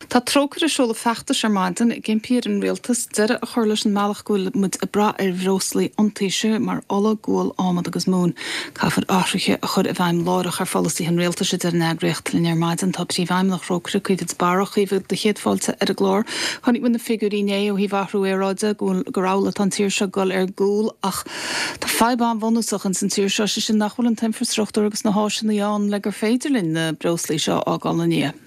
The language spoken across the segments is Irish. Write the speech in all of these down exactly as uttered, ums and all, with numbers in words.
Tá Trócaire ag seoladh feachtais ar maidin ag impí ar an rialtas deireadh a chur leis an mbealach go bhfuil muid ag brath ar bhreoslaí iontaise mar ola, gual, adhmad agus móin. Caithfear athruithe a chur i bhfeidhm láithreach ar pholasaithe an rialtais a deir an eagraíocht. Linn ar maidin tá Príomhfheidhmeannach Thrócaire, Caoimhe de Barra. Caoimhe, do chéad fáilte ar an gclár. Chonaic muid na figiúirí inné ó thaobh athrú aeráide go bhfuil gur amhlaidh atá an tír seo ag dul ar gcúl ach tá fadhb an-bhunúsach ins an tír seo, sé sin nach bhfuil an t-infreastruchtúr agus na háiseanna ann le gur féidir linn na breoslaí seo a fhágáil ina ndiaidh.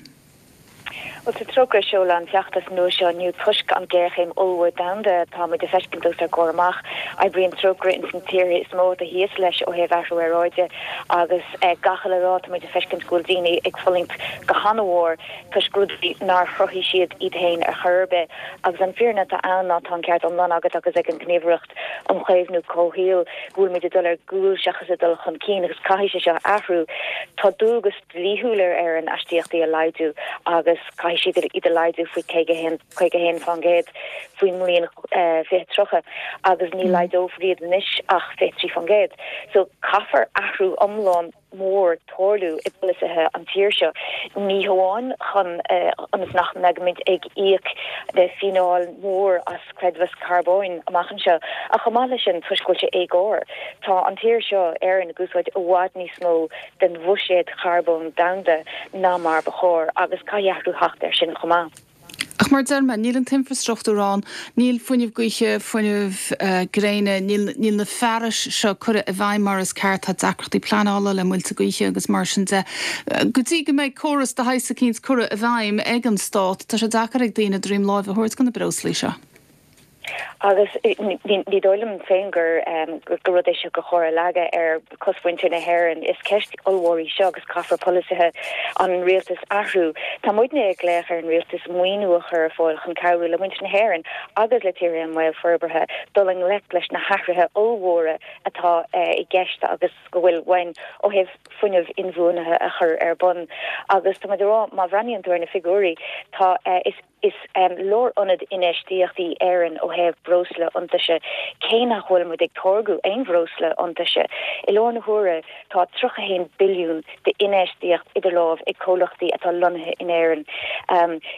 Bhuel, tá Trócaire ag seoladh an feachtas nua seo inniu toisc an géarchéim ollmhór domhanda atá muid ag feiscint os ár gcomhair amach. Oibríonn Trócaire ins na tíortha is mó atá thíos leis ó thaobh athrú aeráide agus gach uile lá tá muid ag feiscint go bhfuil daoine ag fulaingt go han-mhór toisc rudaí nár chruthaigh siad iad féin ar chor ar bith. Agus an fírinne atá ann ná tá an ceart iomlán agat agus ag an Ghníomhaireacht um Chaomhnú Comhshaoil go bhfuil muid ag dul ar gcúl seachas ag dul chun cinn agus caithfidh sé seo athrú. Tá dualgas dlíthiúil ar Éirinn astaíochtaí a laghdú agus caithfidh siad iad a laghdú faoi caoga haon caoga haon faoin gcéad faoin mbliain fiche tríocha agus ní laghdófar iad anois ach fiche trí faoin gcéad. So caithfear athrú iomlán mór tarlú i bpolasaithe an tír seo, ní hamháin chun ionas nach mbeimid ag íoc fíneáil mhór as creidmheas carbóin amach anseo, ach chomh maith leis sin toisc go bhfuil sé éagóir. Tá an tír seo, Éirinn, ag úsáid i bhfad níos mó den bhuiséad charbóin domhanda ná mar ba chóir agus caithfidh athrú theacht air sin chomh maith. Ach mar a deir mé, níl an t-infreastruchtúr ann, níl fuinneamh gaoithe, fuinneamh gréine, níl níl na fearais seo curtha i bhfeidhm mar is ceart, tá deacrachtaí pleanála le muilte gaoithe agus mar sin de. Go dtí go mbeidh córas de shaghas eicínt curtha i bhfeidhm ag an Stát, tá sé deacair ag daoine droim láimhe a thabhairt do na breoslaí seo. Agus ní dóigh liom féin gur gur rud é seo gur chóir a leagadh ar chosmhuintir na hÉireann. Is ceist ollmhór í seo agus caithfear polasaithe an rialtais athrú. Tá muidne ag glaoch ar an rialtas maoiniú a chur ar fáil chun cabhrú le muintir na hÉireann agus le tíortha i mbaol forbartha dul i ngleic leis na hathruithe ollmhóra atá i gceist agus go bhfuil uainn ó thaobh fuinneamh inbhuanaithe a chur ar bun. Agus tá muid ag rá, má bhreathnaíonn tú ar na figiúirí, tá is Is lárionad infheistíochta í Éirinn ó thaobh breosla iontaise, cé nach bhfuil muid ag táirgeadh aon bhreosla iontaise. I láthair na huaire, tá tríocha a haon billiún d'infheistíocht idir lámh ag comhlachtaí atá lonnaithe in Éirinn.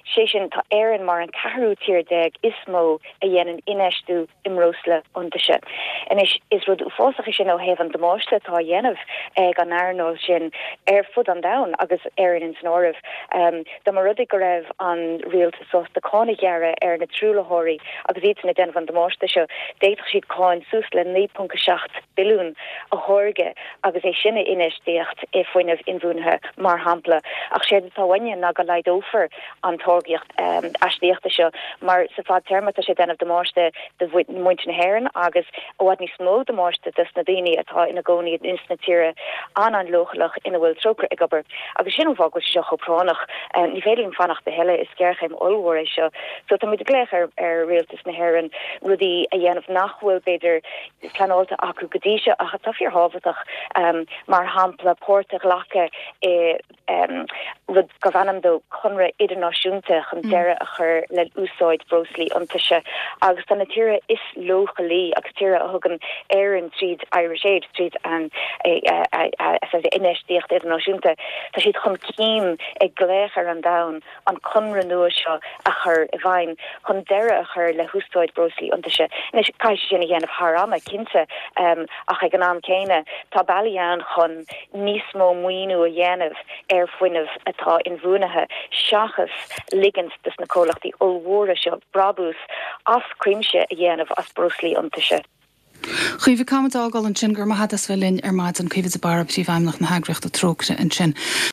Sé sin, tá Éirinn mar an ceathrú tír déag is mó a dhéanann infheistiú i mbreosla iontaise. Anois, is rud uafásach é sin ó thaobh an damáiste atá á dhéanamh ag an earnáil sin ar fud an domhain, agus Éirinn ins an áireamh. Dá mba rud é go raibh an rialtas sásta cáin a ghearradh ar na truaillitheoirí agus iadsan ag déanamh an damáiste seo, d'fhéadfadh siad cáin suas le naoi ponc a seacht billiún a tháirgeadh agus é sin a infheistíocht i fuinneamh inbhuanaithe, mar shampla. Ach séard atá uainne ná go laghdófar an táirgeacht astaíochta seo mar sa fadtéarma tá sé ag déanamh damáiste do mhuintir na hÉireann agus i bhfad níos mó damáiste dos na daoine atá ina gcónaí ins na tíortha an-an-leochaileach ina bhfuil Trócaire ag obair. Agus sin an fáth go bhfuil sé seo chomh práinneach. Ní féidir linn fanacht a thuilleadh, is géarchéim ollmhór é seo. So tá muid ag glaoch ar ar rialtas na hÉireann rudaí a dhéanamh nach bhfuil b'fhéidir pleanáilte acu go dtí seo ach atá fíorthábhachtach, mar shampla páirt a ghlacadh i rud gurbh ainm dó Conradh Idirnáisiúnta chun deireadh a chur le úsáid breoslaí iontaise agus tá na tíortha is leochailí agus tíortha a thugann Éirinn tríd Irish Aid, tríd an infheistíocht idirnáisiúnta, tá siad chun cinn ag glaoch ar an domhan an conradh nua seo a chur i bhfeidhm chun deireadh a chur le húsáid breoslaí iontaise. Anois, caithfidh sé sin a dhéanamh thar ama, cinnte, ach ag an am céanna tá bealaí ann chun níos mó maoiniú a dhéanamh ar fuinneamh atá inbhuanaithe seachas ligint dos na comhlachtaí ollmhóra seo brabús as cuimse a dhéanamh as breoslaí iontaise. Caoimhe, caithfimid fágáil ansin. Go raibh maith agat as bheith linn ar maidin. Caoimhe de Barra, Príomhfheidhmeannach na heagraíochta Trócaire ansin.